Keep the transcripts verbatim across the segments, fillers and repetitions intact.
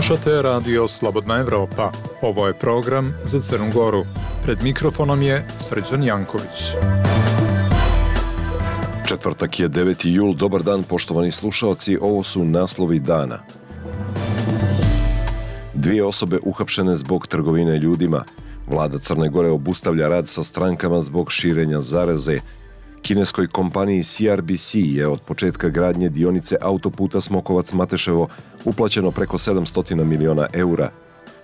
Slušate radio Slobodna Evropa. Ovo je program za Crnu Goru. Pred mikrofonom je Srđan Janković. Četvrtak je deveti jul. Dobar dan, poštovani slušaoci. Ovo su naslovi dana. Dvije osobe uhapšene zbog trgovine ljudima. Vlada Crne Gore obustavlja rad sa strankama zbog širenja zaraze. Kineskoj kompaniji C R B C je od početka gradnje dionice autoputa Smokovac-Mateševo uplaćeno preko sedamsto miliona eura.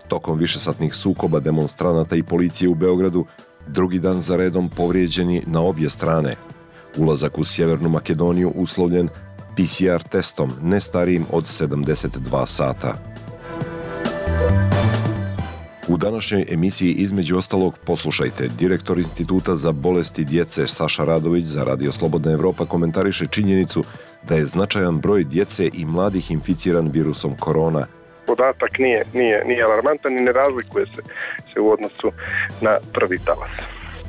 Tokom višesatnih sukoba demonstranata i policije u Beogradu, drugi dan za redom povrijeđeni na obje strane. Ulazak u Sjevernu Makedoniju uslovljen P C R testom, ne starijim od sedamdeset dva sata. U današnjoj emisiji između ostalog poslušajte. Direktor Instituta za bolesti djece Saša Radović za radio Slobodna Evropa komentariše činjenicu da je značajan broj djece i mladih inficiran virusom korona. Podatak nije, nije, nije alarmantan i ne razlikuje se, se u odnosu na prvi talas.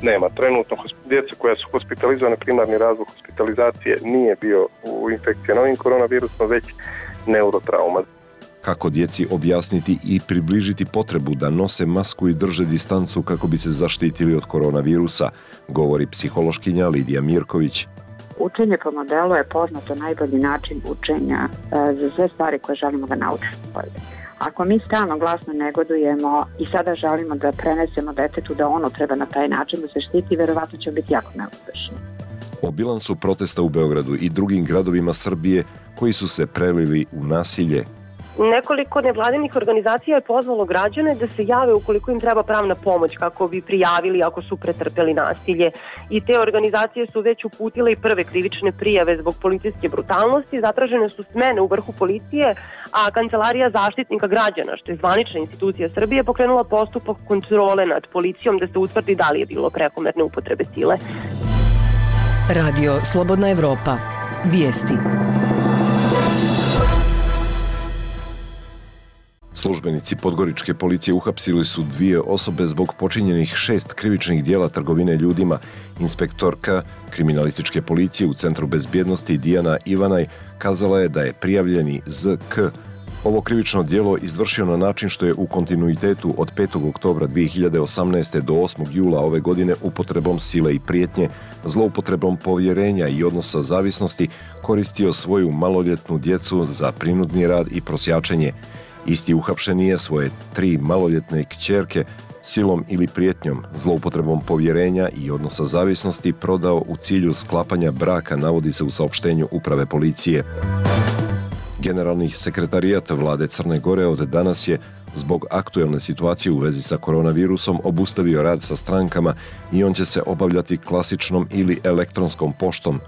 Nema trenutno djece koja su hospitalizovane, primarni razlog hospitalizacije nije bio u infekcija novim koronavirusom, već neurotrauma. Kako djeci objasniti i približiti potrebu da nose masku i drže distancu kako bi se zaštitili od koronavirusa, govori psihološkinja Lidija Mirković. Učenje po modelu je poznato najbolji način učenja za sve stvari koje želimo da naučimo. Ako mi stalno glasno negodujemo i sada želimo da prenesemo detetu da ono treba na taj način da se štiti, verovatno će biti jako neuspešno. O bilansu protesta u Beogradu i drugim gradovima Srbije koji su se prelili u nasilje. Nekoliko nevladinih organizacija je pozvalo građane da se jave ukoliko im treba pravna pomoć kako bi prijavili ako su pretrpeli nasilje. I te organizacije su već uputile i prve krivične prijave zbog policijske brutalnosti, zatražene su smene u vrhu policije, a Kancelarija zaštitnika građana, što je zvanična institucija Srbije, pokrenula postupak kontrole nad policijom da se utvrdi da li je bilo prekomerne upotrebe sile. Radio Slobodna Evropa. Vijesti. Službenici podgoričke policije uhapsili su dvije osobe zbog počinjenih šest krivičnih dijela trgovine ljudima. Inspektorka kriminalističke policije u Centru bezbjednosti Dijana Ivanaj kazala je da je prijavljeni Z K ovo krivično djelo izvršio na način što je u kontinuitetu od petog oktobra dvije hiljade osamnaeste. do osmog jula ove godine upotrebom sile i prijetnje, zloupotrebom povjerenja i odnosa zavisnosti koristio svoju maloljetnu djecu za prinudni rad i prosjačenje. Isti uhapšeni je svoje tri maloljetne kćerke silom ili prijetnjom, zloupotrebom povjerenja i odnosa zavisnosti prodao u cilju sklapanja braka, navodi se u saopštenju uprave policije. Generalni sekretarijat vlade Crne Gore od danas je, zbog aktuelne situacije u vezi sa koronavirusom, obustavio rad sa strankama i on će se obavljati klasičnom ili elektronskom poštom.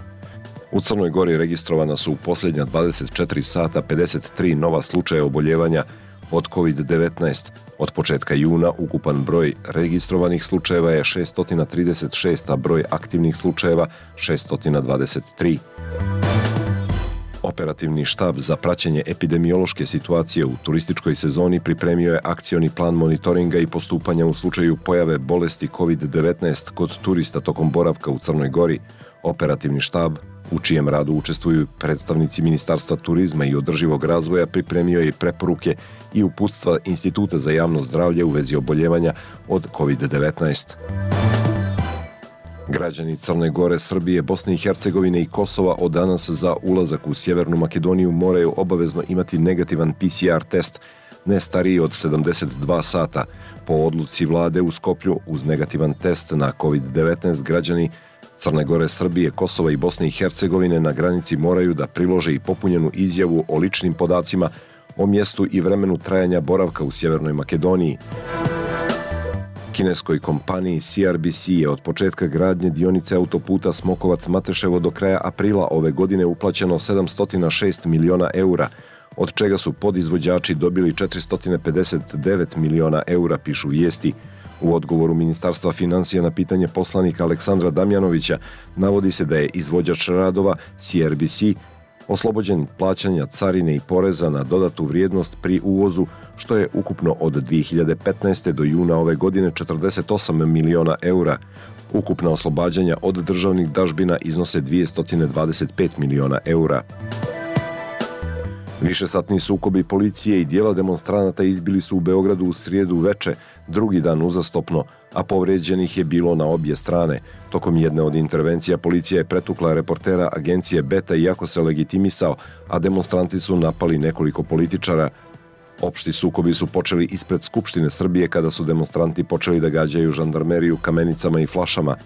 U Crnoj Gori registrovana su u posljednja dvadeset četiri sata pedeset tri nova slučaja oboljevanja od kovid devetnaest. Od početka juna ukupan broj registrovanih slučajeva je šesto trideset šest, a broj aktivnih slučajeva šesto dvadeset tri. Operativni štab za praćenje epidemiološke situacije u turističkoj sezoni pripremio je akcioni plan monitoringa i postupanja u slučaju pojave bolesti kovid devetnaest kod turista tokom boravka u Crnoj Gori. Operativni štab, u čijem radu učestvuju predstavnici Ministarstva turizma i održivog razvoja, pripremio je preporuke i uputstva Instituta za javno zdravlje u vezi oboljevanja od kovid devetnaest. Građani Crne Gore, Srbije, Bosne i Hercegovine i Kosova od danas za ulazak u Sjevernu Makedoniju moraju obavezno imati negativan P C R test, ne stariji od sedamdeset dva sata. Po odluci vlade u Skoplju, uz negativan test na kovid devetnaest, građani Crne Gore, Srbije, Kosova i Bosne i Hercegovine na granici moraju da prilože i popunjenu izjavu o ličnim podacima, o mjestu i vremenu trajanja boravka u Sjevernoj Makedoniji. Kineskoj kompaniji C R B C je od početka gradnje dionice autoputa Smokovac-Mateševo do kraja aprila ove godine uplaćeno sedamsto šest miliona eura, od čega su podizvođači dobili četiristo pedeset devet miliona eura, pišu vijesti. U odgovoru Ministarstva financija na pitanje poslanika Aleksandra Damjanovića navodi se da je izvođač radova C R B C oslobođen plaćanja carine i poreza na dodatu vrijednost pri uvozu, što je ukupno od dvije hiljade petnaeste. do juna ove godine četrdeset osam miliona eura. Ukupna oslobađanja od državnih dažbina iznose dvjesto dvadeset pet miliona eura. Višesatni sukobi policije i dijela demonstranata izbili su u Beogradu u srijedu veče, drugi dan uzastopno, a povređenih je bilo na obje strane. Tokom jedne od intervencija policija je pretukla reportera agencije Beta iako se legitimisao, a demonstranti su napali nekoliko političara. Opšti sukobi su počeli ispred Skupštine Srbije kada su demonstranti počeli da gađaju žandarmeriju kamenicama i flašama.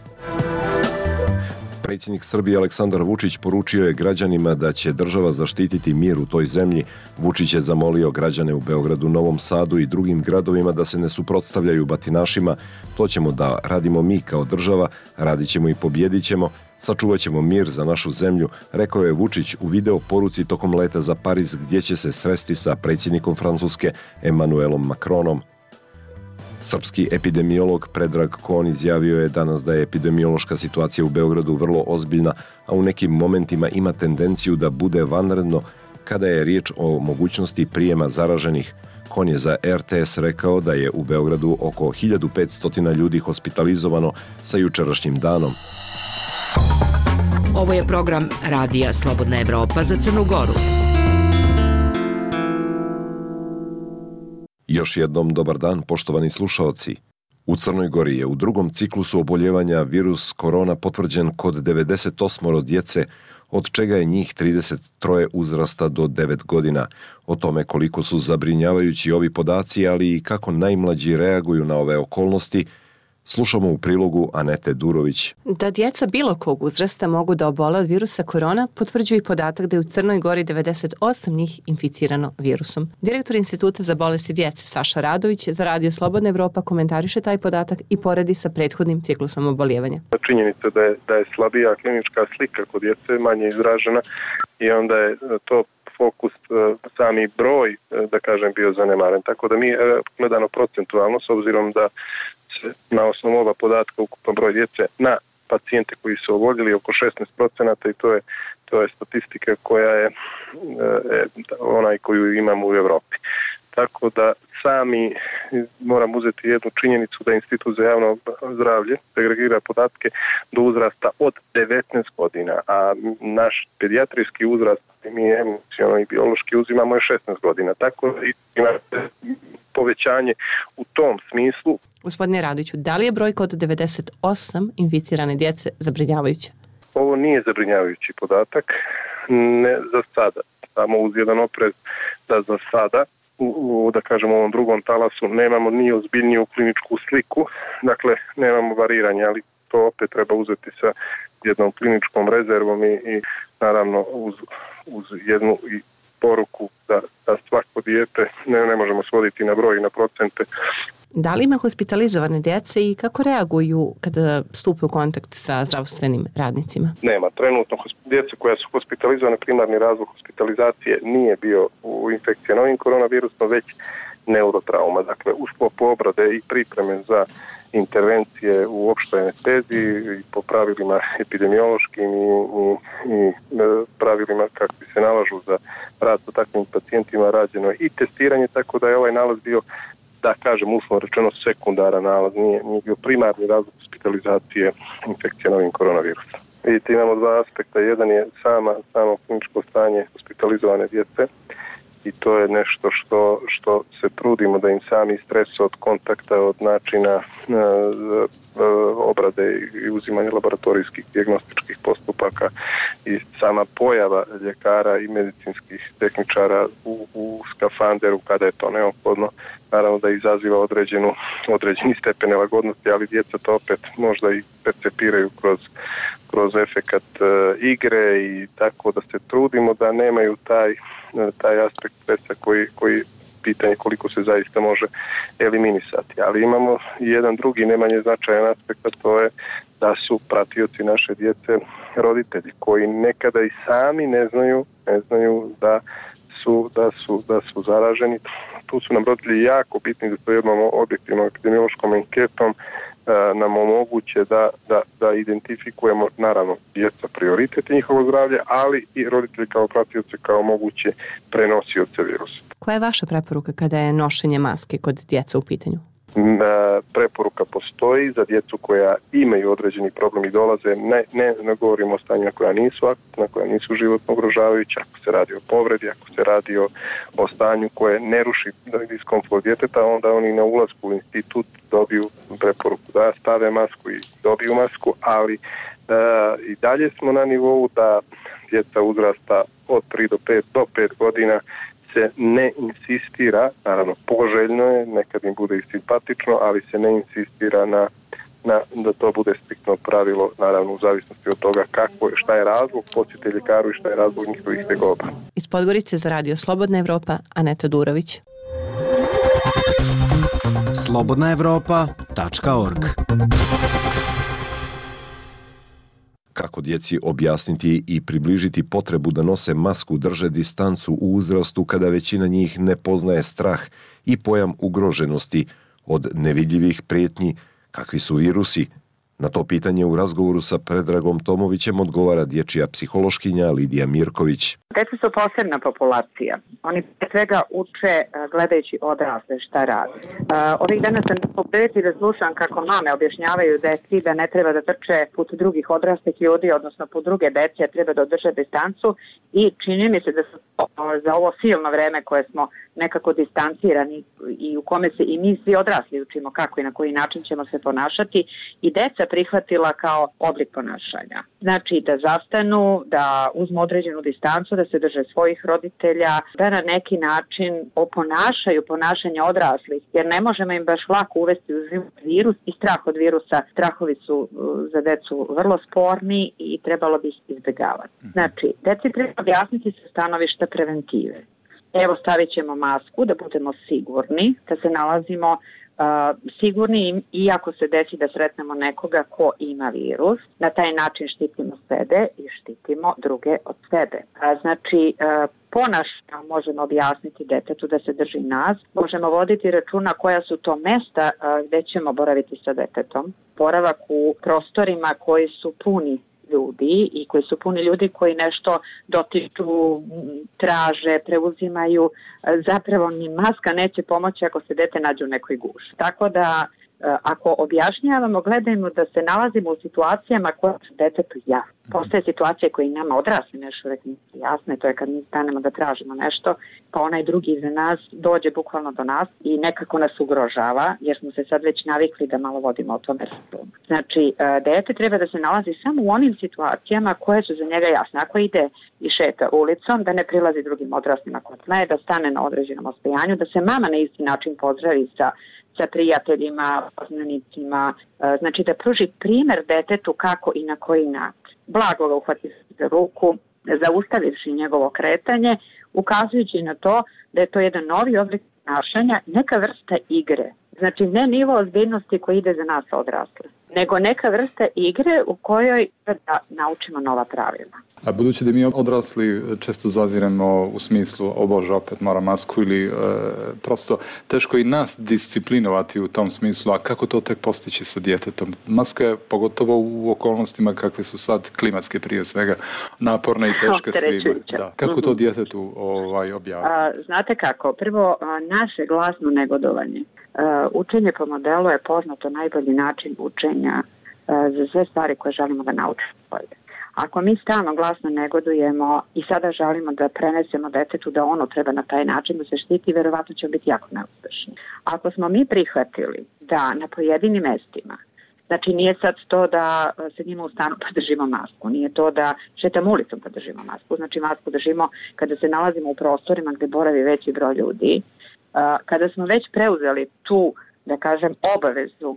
Predsjednik Srbije Aleksandar Vučić poručio je građanima da će država zaštititi mir u toj zemlji. Vučić je zamolio građane u Beogradu, Novom Sadu i drugim gradovima da se ne suprotstavljaju batinašima. To ćemo da radimo mi kao država, radit ćemo i pobjedit ćemo, sačuvat ćemo mir za našu zemlju, rekao je Vučić u video poruci tokom leta za Pariz gdje će se sresti sa predsjednikom Francuske Emmanuelom Macronom. Srpski epidemiolog Predrag Kon izjavio je danas da je epidemiološka situacija u Beogradu vrlo ozbiljna, a u nekim momentima ima tendenciju da bude vanredno kada je riječ o mogućnosti prijema zaraženih. Kon je za er te es rekao da je u Beogradu oko hiljadu petsto ljudi hospitalizovano sa jučerašnjim danom. Ovo je program Radija Slobodna Evropa za Crnu Goru. Još jednom dobar dan, poštovani slušaoci. U Crnoj Gori je u drugom ciklusu oboljevanja virus korona potvrđen kod devedeset osam djece, od čega je njih trideset tri uzrasta do devet godina. O tome koliko su zabrinjavajući ovi podaci, ali i kako najmlađi reaguju na ove okolnosti, slušamo u prilogu Anete Durović. Da djeca bilo kog uzrasta mogu da obole od virusa korona potvrđuje i podatak da je u Crnoj Gori devedeset osam njih inficirano virusom. Direktor Instituta za bolesti djece Saša Radović za Radio Slobodna Evropa komentariše taj podatak i poredi sa prethodnim ciklusom oboljevanja. Činjenica da je, da je slabija klinička slika kod djece, manje izražena i onda je to fokus, sami broj, da kažem, bio zanemaren. Tako da mi gledano procentualno, s obzirom da na osnovu ova podatka ukupan broj djece na pacijente koji su oboljeli oko šesnaest procenata i to je, to je statistika koja je e, onaj koju imamo u Evropi. Tako da sami moram uzeti jednu činjenicu da Institut za javno zdravlje agregira podatke do uzrasta od devetnaest godina, a naš pedijatrijski uzrast mi emocionalno i biološki uzimamo je šesnaest godina. Tako da ima povećanje u tom smislu. Gospodine Radoviću, da li je brojka od devedeset osam inficirane djece zabrinjavajuća? Ovo nije zabrinjavajući podatak, ne za sada, samo uz jedan oprez da za sada, u, u, da kažemo u ovom drugom talasu, nemamo ni ozbiljniju kliničku sliku, dakle nemamo variranje, ali to opet treba uzeti sa jednom kliničkom rezervom i, i naravno uz, uz jednu i poruku da, da svako dijete ne, ne možemo svoditi na broj i na procente. Da li ima hospitalizovane djece i kako reaguju kada stupe u kontakt sa zdravstvenim radnicima? Nema. Trenutno djece koja su hospitalizovane, primarni razlog hospitalizacije nije bio u infekcija novim koronavirusom, već neurotrauma. Dakle, u sklopu obrade i pripreme za intervencije u opštoj anesteziji i po pravilima epidemiološkim i, i, i pravilima kakvi se nalažu za rad sa takvim pacijentima rađeno i testiranje, tako da je ovaj nalaz bio, da kažem uslovno rečeno, sekundaran nalaz, nije, nije bio primarni razlog hospitalizacije infekcije novim koronavirusom. Vidite, imamo dva aspekta. Jedan je sama, samo kliničko stanje hospitalizovane djece i to je nešto što, što se trudimo da im sami stres od kontakta, od načina e, e, obrade i uzimanja laboratorijskih dijagnostičkih postupaka i sama pojava ljekara i medicinskih tehničara u, u skafanderu kada je to neophodno, naravno da izaziva određenu, određeni stepen nelagodnosti, ali djeca to opet možda i percepiraju kroz, kroz efekat e, igre i tako da se trudimo da nemaju taj, taj aspekt stresa koji, koji pitanje koliko se zaista može eliminisati. Ali imamo i jedan drugi nemanje značajan aspekt, a to je da su pratioci naše djece roditelji koji nekada i sami ne znaju, ne znaju da su, da su, da su zaraženi. Tu su nam roditelji jako bitni da to jednom objektivnom epidemiološkom anketom nam omoguće da, da, da identifikujemo, naravno, djeca prioritet i njihovo zdravlje, ali i roditelji kao pratioce kao moguće prenosioce virusa. Koja je vaša preporuka kada je nošenje maske kod djeca u pitanju? preporuka postoji za djecu koja imaju određeni problem i dolaze, ne, ne, ne govorimo o stanjima koja nisu akutna, koja nisu životno ugrožavajuća, ako se radi o povredi, ako se radi o, o stanju koje ne ruši diskomfort djeteta, onda oni na ulasku u institut dobiju preporuku da stave masku i dobiju masku, ali e, i dalje smo na nivou da djeca uzrasta od tri do pet do pet godina se ne insistira, naravno poželjno je, nekad im bude i simpatično, ali se ne insistira na, na da to bude striktno pravilo, naravno u zavisnosti od toga kako, šta je razlog, posjete ljekaru i šta je razlog njihovih tegoba. Iz Podgorice za Radio Slobodna Evropa, Aneta Durović. slobodna evropa tačka org. Kako djeci objasniti i približiti potrebu da nose masku, drže distancu u uzrastu kada većina njih ne poznaje strah i pojam ugroženosti od nevidljivih prijetnji kakvi su virusi? Na to pitanje u razgovoru sa Predragom Tomovićem odgovara dječja psihološkinja Lidija Mirković. Deca su posebna populacija. Oni pre svega uče gledajući odrasle šta radi. Ovih dana sam u prilici da slušam kako mame objašnjavaju deci da ne treba da trče put drugih odraslih ljudi, odnosno put druge dece, a treba da održe distancu i čini mi se da su za ovo silno vreme koje smo nekako distancirani i u kome se i mi svi odrasli učimo kako i na koji način ćemo se ponašati i deca prihvatila kao oblik ponašanja. Znači da zastanu, da uzmu određenu distancu, da se drže svojih roditelja, da na neki način oponašaju ponašanje odraslih, jer ne možemo im baš lako uvesti u život virus i strah od virusa. Strahovi su za decu vrlo sporni i trebalo bi ih izbjegavati. Znači, deci treba objasniti sa stanovišta preventive. Evo, stavit ćemo masku da budemo sigurni, da se nalazimo uh, sigurni i ako se desi da sretnemo nekoga ko ima virus, na taj način štitimo sebe i štitimo druge od sebe. A, znači, uh, ponašanje možemo objasniti detetu da se drži nas, možemo voditi računa koja su to mesta uh, gde ćemo boraviti sa detetom. Boravak u prostorima koji su puni ljudi i koji su puni ljudi koji nešto dotiču, traže, preuzimaju, zapravo ni maska neće pomoći ako se dete nađe u nekoj guši. Tako da ako objašnjavamo, gledajmo da se nalazimo u situacijama koje su detetu jasne. Postoje situacije koje i nama odrasli nešto uvek nisu jasne, to je kad mi stanemo da tražimo nešto, pa onaj drugi iza nas dođe bukvalno do nas i nekako nas ugrožava, jer smo se sad već navikli da malo vodimo o tome računa. Znači, dete treba da se nalazi samo u onim situacijama koje su za njega jasne. Ako ide i šeta ulicom, da ne prilazi drugim odraslima kod tle, da stane na određenom ostojanju, da se mama na isti način pozdravi sa sa prijateljima, poznanicima, znači da pruži primjer detetu kako i na koji način. Blago ga uhvati za ruku, zaustavivši njegovo kretanje, ukazujući na to da je to jedan novi oblik ponašanja, neka vrsta igre. Znači ne nivo ozbiljnosti koji ide za nas odrasle, nego neka vrsta igre u kojoj da naučimo nova pravila. A budući da mi odrasli često zaziremo u smislu o Bože, opet mora masku ili e, prosto teško i nas disciplinovati u tom smislu, a kako to tek postići sa djetetom? Maska je pogotovo u okolnostima kakve su sad klimatske prije svega naporne i teške svima. Da. Kako to djetetu ovaj, objasniti? A, znate kako, prvo a, naše glasno negodovanje. A, učenje po modelu je poznato najbolji način učenja a, za sve stvari koje želimo da naučimo bolje. Ako mi stalno glasno negodujemo i sada želimo da prenesemo detetu da ono treba na taj način da se štiti, verovatno ćemo biti jako neuspešni. Ako smo mi prihvatili da na pojedinim mestima, znači nije sad to da sedimo u stanu pa držimo masku, nije to da šetamo ulicom pa držimo masku, znači masku držimo kada se nalazimo u prostorima gde boravi veći broj ljudi. Kada smo već preuzeli tu, da kažem, obavezu,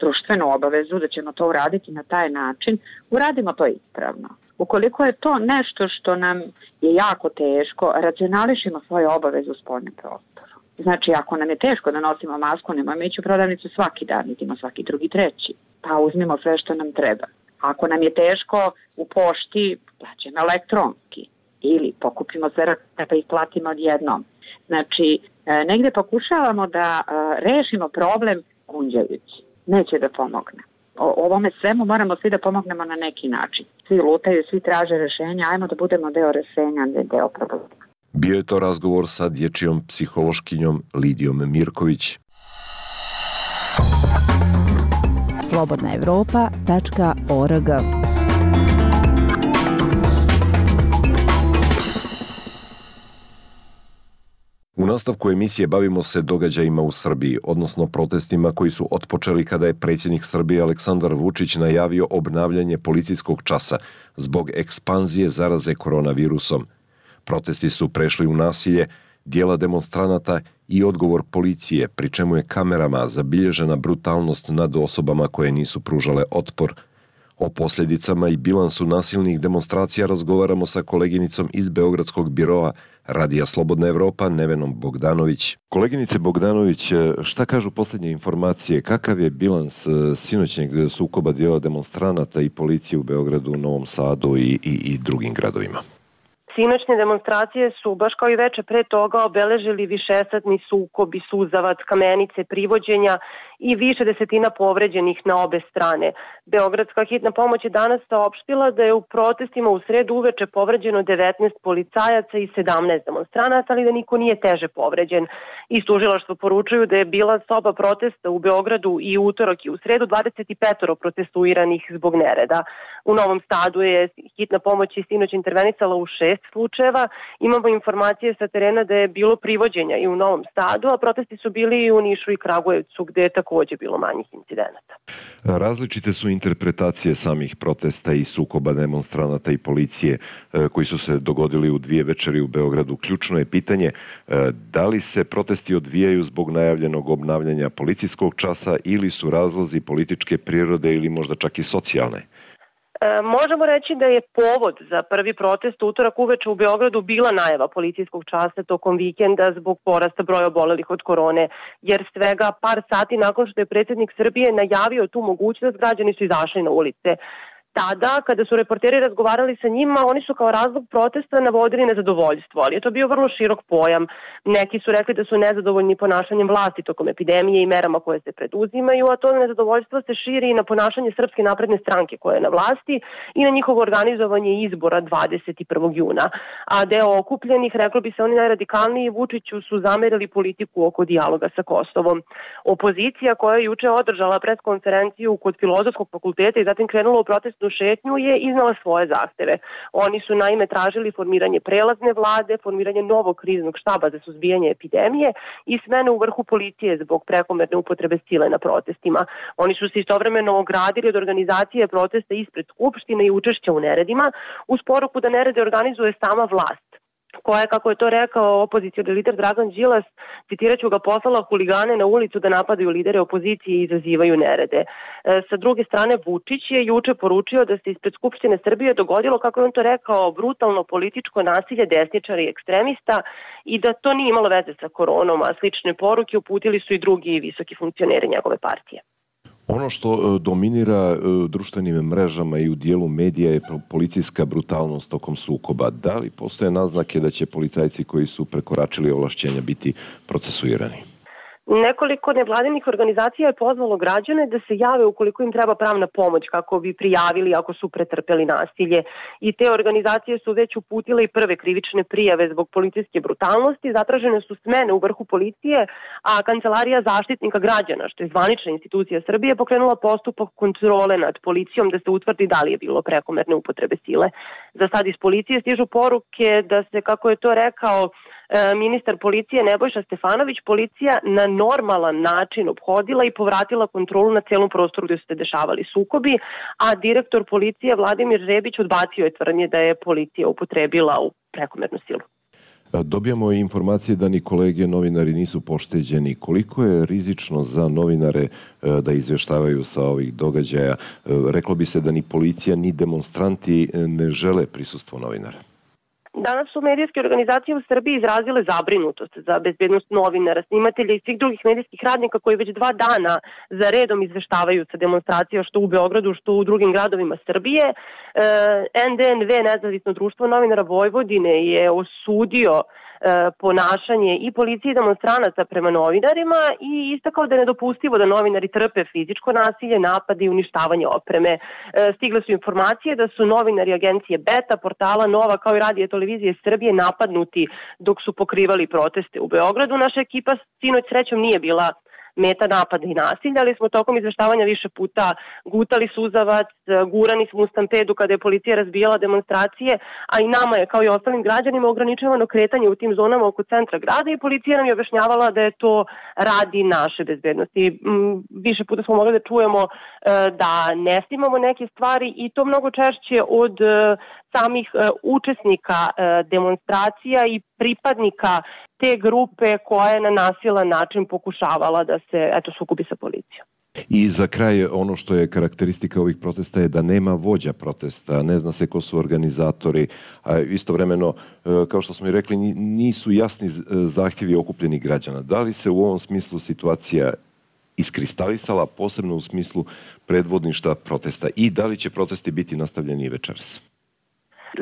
društvenu obavezu da ćemo to uraditi na taj način, uradimo to ispravno. Ukoliko je to nešto što nam je jako teško, racionališimo svoje obaveze u spoljnom prostoru. Znači, ako nam je teško da nosimo masku, nemojmo ići u prodavnicu svaki dan, idemo svaki drugi, treći. Pa uzmimo sve što nam treba. Ako nam je teško u pošti, plaćamo elektronski. Ili pokupimo sve rakete pa ih platimo odjednom. Znači, negde pokušavamo da rešimo problem gunđajući. Neće da pomogne. O ovome svemu moramo svi da pomognemo na neki način. Svi lutaju, svi traže rešenja, ajmo da budemo deo rešenja, ne deo problema. Bio je to razgovor sa dječjom psihološkinjom Lidijom Mirković. slobodna evropa tačka org. U nastavku emisije bavimo se događajima u Srbiji, odnosno protestima koji su otpočeli kada je predsjednik Srbije Aleksandar Vučić najavio obnavljanje policijskog časa zbog ekspanzije zaraze koronavirusom. Protesti su prešli u nasilje, dijela demonstranata i odgovor policije, pri čemu je kamerama zabilježena brutalnost nad osobama koje nisu pružale otpor. O posljedicama i bilansu nasilnih demonstracija razgovaramo sa koleginicom iz Beogradskog biroa Radija Slobodna Evropa, Nevenom Bogdanović. Koleginice Bogdanović, šta kažu posljednje informacije? Kakav je bilans sinoćnjeg sukoba dijela demonstranata i policije u Beogradu, Novom Sadu i, i, i drugim gradovima? Sinoćne demonstracije su, baš kao i veče pre toga, obeležili višesatni sukobi, suzavac, kamenice, privođenja i više desetina povređenih na obe strane. Beogradska hitna pomoć je danas saopštila da je u protestima u sredu uveče povređeno devetnaest policajaca i sedamnaest demonstranata, ali da niko nije teže povređen. Iz tužilaštva poručuju da je bila soba protesta u Beogradu i utorak i u sredu dvadeset pet protestuiranih zbog nereda. U Novom Sadu je hitna pomoć i sinoć intervenisala u šest slučajeva. Imamo informacije sa terena da je bilo privođenja i u Novom Sadu, a protesti su bili i u Nišu i Kragujevcu, gde je takođe bilo manjih incidenata. Različite su interpretacije samih protesta i sukoba demonstranata i policije koji su se dogodili u dvije večeri u Beogradu. Ključno je pitanje da li se protesti odvijaju zbog najavljenog obnavljanja policijskog časa ili su razlozi političke prirode ili možda čak i socijalne. E, možemo reći da je povod za prvi protest utorak uveče u Beogradu bila najava policijskog časa tokom vikenda zbog porasta broja obolelih od korone, jer svega par sati nakon što je predsjednik Srbije najavio tu mogućnost, građani su izašli na ulice. Tada, kada su reporteri razgovarali sa njima, oni su kao razlog protesta navodili nezadovoljstvo, ali je to bio vrlo širok pojam. Neki su rekli da su nezadovoljni ponašanjem vlasti tokom epidemije i merama koje se preduzimaju, a to nezadovoljstvo se širi i na ponašanje Srpske napredne stranke koja je na vlasti i na njihovo organizovanje izbora dvadeset prvog juna. A deo okupljenih, reklo bi se oni najradikalniji, Vučiću su zamerili politiku oko dijaloga sa Kosovom. Opozicija koja je juče održala preskonferenciju kod Filozofskog fakulteta i zatim krenula u protestnu šetnju je iznala svoje zahteve. Oni su naime tražili formiranje prelazne vlade, formiranje novog kriznog štaba za suzbijanje epidemije i smene u vrhu policije zbog prekomerne upotrebe sile na protestima. Oni su se istovremeno ogradili od organizacije protesta ispred Skupštine i učešća u neredima uz poruku da nerede organizuje sama vlast, koja je, kako je to rekao opozicioni lider Dragan Đilas, citiraću ga, poslala huligane na ulicu da napadaju lidere opozicije i izazivaju nerede. E, sa druge strane, Vučić je juče poručio da se ispred Skupštine Srbije dogodilo, kako je on to rekao, brutalno političko nasilje desničara i ekstremista i da to nije imalo veze sa koronom, a slične poruke uputili su i drugi visoki funkcioneri njegove partije. Ono što dominira društvenim mrežama i u dijelu medija je policijska brutalnost tokom sukoba. Da li postoje naznake da će policajci koji su prekoračili ovlašćenja biti procesuirani? Nekoliko nevladinih organizacija je pozvalo građane da se jave ukoliko im treba pravna pomoć kako bi prijavili ako su pretrpeli nasilje. I te organizacije su već uputile i prve krivične prijave zbog policijske brutalnosti, zatražene su smene u vrhu policije, a Kancelarija zaštitnika građana, što je zvanična institucija Srbije, pokrenula postupak kontrole nad policijom da se utvrdi da li je bilo prekomerne upotrebe sile. Za sad iz policije stižu poruke da se, kako je to rekao ministar policije Nebojša Stefanović, policija na normalan način ophodila i povratila kontrolu na celom prostoru gdje su se dešavali sukobi, a direktor policije Vladimir Rebić odbacio je tvrdnje da je policija upotrebila u prekomernu silu. Dobijamo i informacije da ni kolege novinari nisu pošteđeni. Koliko je rizično za novinare da izvještavaju sa ovih događaja? Reklo bi se da ni policija ni demonstranti ne žele prisustvo novinara. Danas su medijske organizacije u Srbiji izrazile zabrinutost za bezbednost novinara, snimatelja i svih drugih medijskih radnika koji već dva dana za redom izveštavaju sa demonstracija što u Beogradu, što u drugim gradovima Srbije. N D N V, Nezavisno društvo novinara Vojvodine, je osudio ponašanje i policije i demonstranaca prema novinarima i istakao da je nedopustivo da novinari trpe fizičko nasilje, napade i uništavanje opreme. Stigle su informacije da su novinari agencije Beta, portala Nova kao i radija televizije Srbije napadnuti dok su pokrivali proteste u Beogradu. Naša ekipa sinoć srećom nije bila meta napada i nasilja, ali smo tokom izveštavanja više puta gutali suzavac, gurani smo u stampedu kada je policija razbijala demonstracije, a i nama je kao i ostalim građanima ograničavano kretanje u tim zonama oko centra grada i policija nam je objašnjavala da je to radi naše bezbednosti. Više puta smo mogli da čujemo da ne snimamo neke stvari i to mnogo češće od samih učesnika demonstracija i pripadnika te grupe koja je na nasilan način pokušavala da se eto sukobi sa policijom. I za kraj, ono što je karakteristika ovih protesta je da nema vođa protesta, ne zna se ko su organizatori, a istovremeno, kao što smo i rekli, nisu jasni zahtjevi okupljenih građana. Da li se u ovom smislu situacija iskristalisala, posebno u smislu predvodništva protesta, i da li će protesti biti nastavljeni i večeras?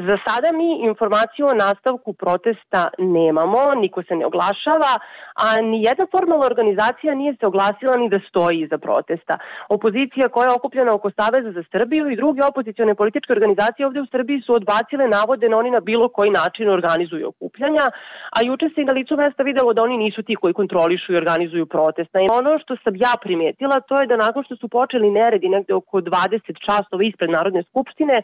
Za sada mi informaciju o nastavku protesta nemamo, niko se ne oglašava, a ni jedna formalna organizacija nije se oglasila ni da stoji iza protesta. Opozicija koja je okupljena oko Saveza za Srbiju i druge opozicione političke organizacije ovde u Srbiji su odbacile navode na oni na bilo koji način organizuju okupljanja, a juče se i na licu mesta videlo da oni nisu ti koji kontrolišu i organizuju protesta. I ono što sam ja primetila, to je da nakon što su počeli neredi negde oko dvadeset časova ispred Narodne skupštine,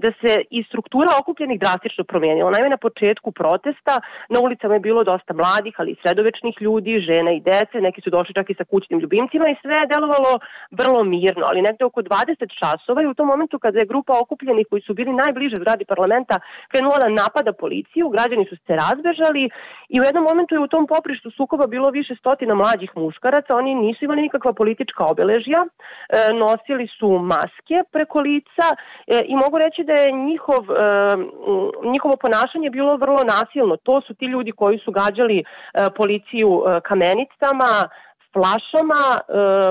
da se i struktura okupljenih drastično promijenilo. Naime, na početku protesta na ulicama je bilo dosta mladih, ali i sredovečnih ljudi, žena i dece, neki su došli čak i sa kućnim ljubimcima i sve je delovalo vrlo mirno, ali negde oko dvadeset časova i u tom momentu kada je grupa okupljenih koji su bili najbliže zgradi parlamenta krenula da napada policiju, građani su se razbežali i u jednom momentu je u tom poprištu sukoba bilo više stotina mlađih muškaraca, oni nisu imali nikakva politička obeležja, e, nosili su maske preko lica e, i mogu reći da je njihov e, njihovo ponašanje bilo vrlo nasilno. To su ti ljudi koji su gađali e, policiju e, kamenicama, flašama, e,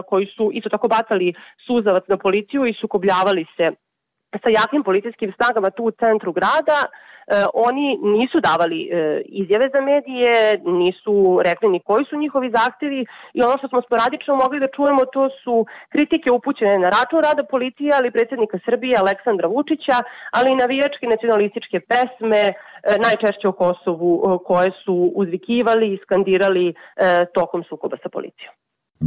koji su isto tako bacali suzavac na policiju i sukobljavali se sa jakim policijskim snagama tu u centru grada. E, oni nisu davali e, izjave za medije, nisu rekli ni koji su njihovi zahtevi i ono što smo sporadično mogli da čujemo to su kritike upućene na račun rada policije, ali predsjednika Srbije Aleksandra Vučića, ali i navijačke nacionalističke pesme, e, najčešće o Kosovu, e, koje su uzvikivali i skandirali e, tokom sukoba sa policijom.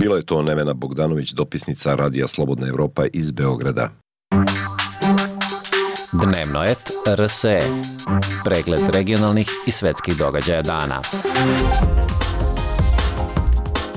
Bila je to Nevena Bogdanović, dopisnica Radija Slobodna Evropa iz Beograda. Dnevnoet R S E. Pregled regionalnih i svetskih događaja dana.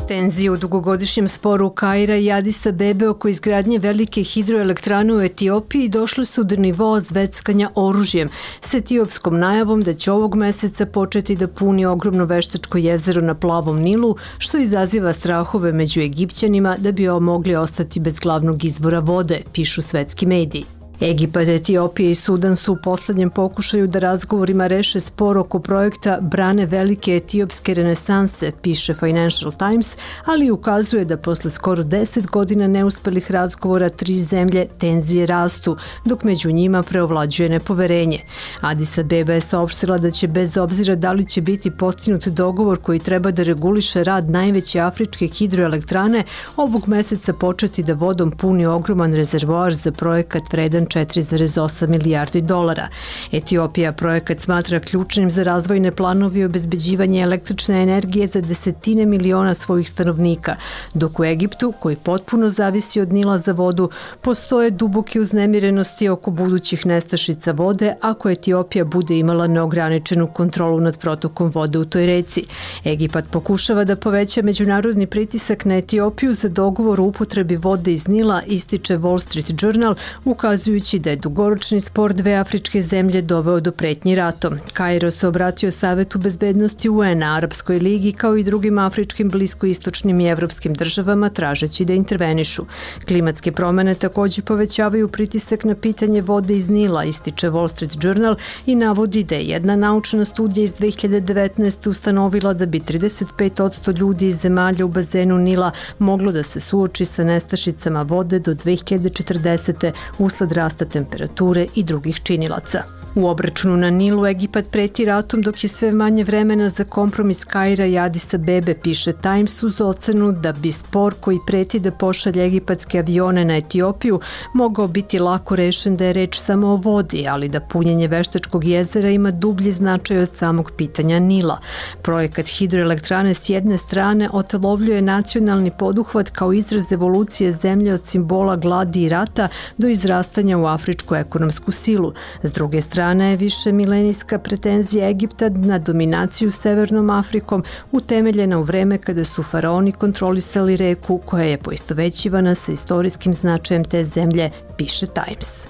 Tenzije u dugogodišnjem sporu Kaira i Adisa Abebe oko izgradnje velike hidroelektrane u Etiopiji došle su do nivoa zveckanja oružjem s etiopskom najavom da će ovog meseca početi da puni ogromno veštačko jezero na Plavom Nilu, što izaziva strahove među Egipćanima da bi mogli ostati bez glavnog izvora vode, pišu svetski mediji. Egipat, Etiopija i Sudan su u poslednjem pokušaju da razgovorima reše spor oko projekta brane velike etiopske renesanse, piše Financial Times, ali ukazuje da posle skoro deset godina neuspelih razgovora tri zemlje tenzije rastu, dok među njima preovlađuje nepoverenje. Adis Abeba je saopštila da će bez obzira da li će biti postignut dogovor koji treba da reguliše rad najveće afričke hidroelektrane, ovog meseca početi da vodom puni ogroman rezervoar za projekat vredan četiri zarez osam milijardi dolara. Etiopija projekat smatra ključnim za razvojne planove i obezbeđivanje električne energije za desetine miliona svojih stanovnika, dok u Egiptu, koji potpuno zavisi od Nila za vodu, postoje duboke uznemirenosti oko budućih nestašica vode ako Etiopija bude imala neograničenu kontrolu nad protokom vode u toj reci. Egipat pokušava da poveća međunarodni pritisak na Etiopiju za dogovor o upotrebi vode iz Nila, ističe Wall Street Journal, ukazujući da je dugoročni spor dve afričke zemlje doveo do pretnji ratom. Kairo se obratio Savetu bezbednosti U N-a, Arapskoj ligi kao i drugim afričkim, bliskoistočnim i evropskim državama tražeći da intervenišu. Klimatske promene također povećavaju pritisak na pitanje vode iz Nila, ističe Wall Street Journal i navodi da je jedna naučna studija iz dve hiljade devetnaeste. ustanovila da bi trideset pet posto ljudi iz zemalja u bazenu Nila moglo da se suoči sa nestašicama vode do dve hiljade četrdesete. usled rasta temperature i drugih činilaca. U obračunu na Nilu Egipat preti ratom dok je sve manje vremena za kompromis Kaira i Adisa Bebe, piše Times uz ocenu da bi spor koji preti da pošalje egipatske avione na Etiopiju mogao biti lako rešen da je reč samo o vodi, ali da punjenje Veštačkog jezera ima dublji značaj od samog pitanja Nila. Projekat hidroelektrane s jedne strane otelovljuje nacionalni poduhvat kao izraz evolucije zemlje od simbola gladi i rata do izrastanja u afričku ekonomsku silu. S druge strane, strana je više milenijska pretenzija Egipta na dominaciju Severnom Afrikom utemeljena u vreme kada su faraoni kontrolisali reku koja je poistovećivana sa istorijskim značajem te zemlje, piše Times.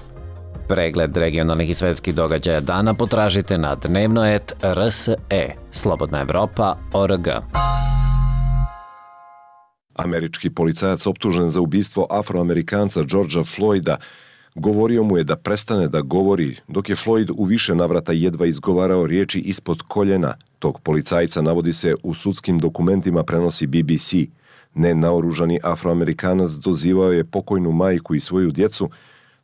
Pregled regionalnih i svetskih događaja dana potražite na dnevnoet tačka r s e, slobodna evropa tačka org. Američki policajac optužen za ubistvo afroamerikanca Georgea Floyda govorio mu je da prestane da govori, dok je Floyd u više navrata jedva izgovarao riječi ispod koljena. Tog policajca, navodi se, u sudskim dokumentima prenosi B B C. Nenaoružani afroamerikanac dozivao je pokojnu majku i svoju djecu,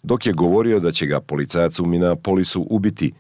dok je govorio da će ga policajac u Minneapolisu ubiti.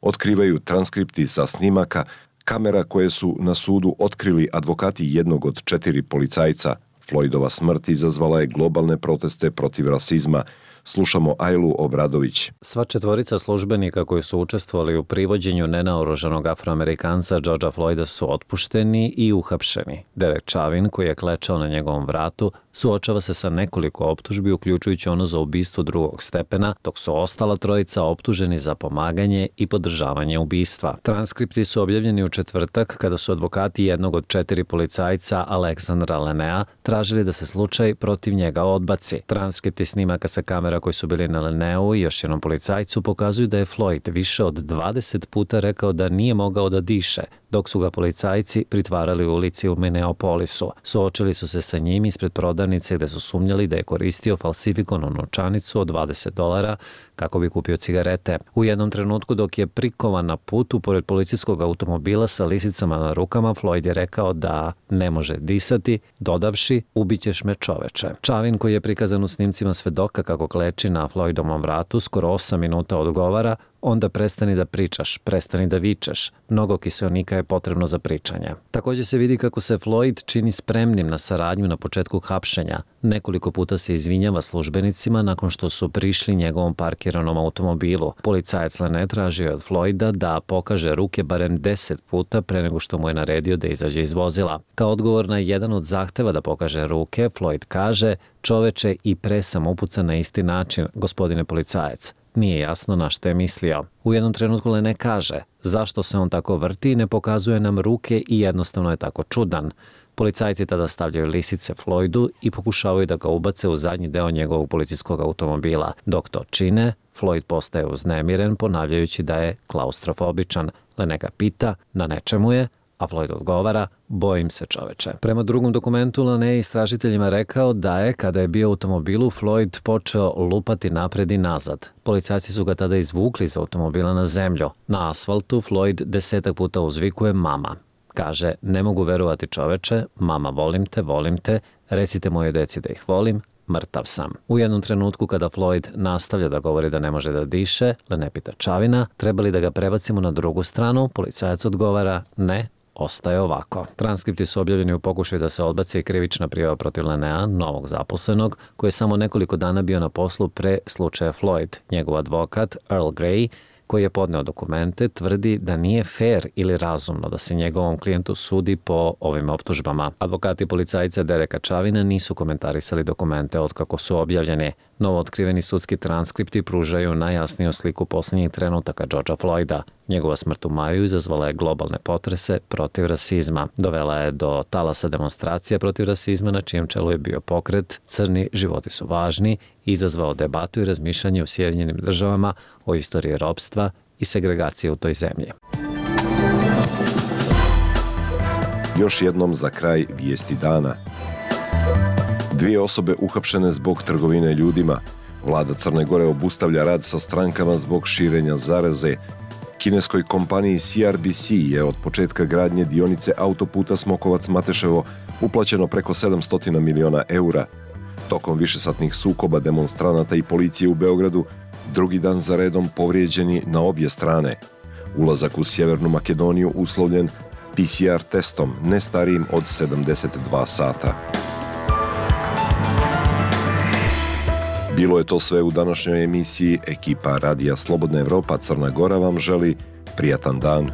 Otkrivaju transkripti sa snimaka, kamera koje su na sudu otkrili advokati jednog od četiri policajca. Floydova smrt izazvala je globalne proteste protiv rasizma. Slušamo Ajlu Obradović. Sva četvorica službenika koji su učestvovali u privođenju nenaoružanog afroamerikanca Georgea Floyda su otpušteni i uhapšeni. Derek Chauvin, koji je klečao na njegovom vratu, suočava se sa nekoliko optužbi, uključujući ono za ubistvo drugog stepena, dok su ostala trojica optuženi za pomaganje i podržavanje ubistva. Transkripti su objavljeni u četvrtak kada su advokati jednog od četiri policajca, Aleksandra Lenea, tražili da se slučaj protiv njega odbaci. Transkripti snimaka sa kamera koji su bili na Leneu i još jednom policajcu pokazuju da je Floyd više od dvadeset puta rekao da nije mogao da diše, dok su ga policajci pritvarali u ulici u Minneapolisu. Suočili su se sa njim ispred prodavnice gde su sumnjali da je koristio falsifikovanu novčanicu od dvadeset dolara kako bi kupio cigarete. U jednom trenutku dok je prikovan na putu pored policijskog automobila sa lisicama na rukama, Floyd je rekao da ne može disati, dodavši ubićeš me čoveče. Chauvin, koji je prikazan u snimcima svedoka kako kleči na Floydovom vratu, skoro osam minuta odgovara: onda prestani da pričaš, prestani da vičeš. Mnogo kiseonika je potrebno za pričanje. Također se vidi kako se Floyd čini spremnim na saradnju na početku hapšenja. Nekoliko puta se izvinjava službenicima nakon što su prišli njegovom parkiranom automobilu. Policajac Lene tražio je od Floyda da pokaže ruke barem deset puta pre nego što mu je naredio da izađe iz vozila. Kao odgovor na jedan od zahteva da pokaže ruke, Floyd kaže: čoveče, i pre sam upucan na isti način, gospodine policajac. Nije jasno na što je mislio. U jednom trenutku Lene kaže: zašto se on tako vrti i ne pokazuje nam ruke i jednostavno je tako čudan. Policajci tada stavljaju lisice Floydu i pokušavaju da ga ubace u zadnji deo njegovog policijskog automobila. Dok to čine, Floyd postaje uznemiren, ponavljajući da je klaustrofobičan. Lene ga pita na nečemu je, a Floyd odgovara: bojim se čoveče. Prema drugom dokumentu, Lene je istražiteljima rekao da je, kada je bio u automobilu, Floyd počeo lupati napred i nazad. Policajci su ga tada izvukli iz automobila na zemlju. Na asfaltu Floyd desetak puta uzvikuje mama. Kaže: ne mogu verovati čoveče, mama, volim te, volim te, recite moje deci da ih volim, mrtav sam. U jednom trenutku kada Floyd nastavlja da govori da ne može da diše, Lene pita Chauvina: treba li da ga prebacimo na drugu stranu? Policajac odgovara: ne, ostaje ovako. Transkripti su objavljeni u pokušaju da se odbaci krivična prijava protiv Lenea, novog zaposlenog, koji je samo nekoliko dana bio na poslu pre slučaja Floyd. Njegov advokat, Earl Grey, koji je podneo dokumente, tvrdi da nije fair ili razumno da se njegovom klijentu sudi po ovim optužbama. Advokati policajca Dereka Chauvina nisu komentarisali dokumente od kako su objavljeni. Novo otkriveni sudski transkripti pružaju najjasniju sliku posljednjih trenutaka Georgea Floyda. Njegova smrt u maju izazvala je globalne potrese protiv rasizma. Dovela je do talasa demonstracija protiv rasizma, na čijem čelu je bio pokret Crni životi su važni, izazvao debatu i razmišljanje u Sjedinjenim državama o istoriji ropstva i segregacije u toj zemlji. Još jednom za kraj vijesti dana. Dvije osobe uhapšene zbog trgovine ljudima. Vlada Crne Gore obustavlja rad sa strankama zbog širenja zaraze. Kineskoj kompaniji C R B C je od početka gradnje dionice autoputa Smokovac-Mateševo uplaćeno preko sedamsto miliona eura. Tokom višesatnih sukoba demonstranata i policije u Beogradu, drugi dan za redom povrijeđeni na obje strane. Ulazak u Sjevernu Makedoniju uslovljen P C R testom ne starijim od sedamdeset dva sata. Bilo je to sve u današnjoj emisiji. Ekipa Radija Slobodna Evropa Crna Gora vam želi prijatan dan.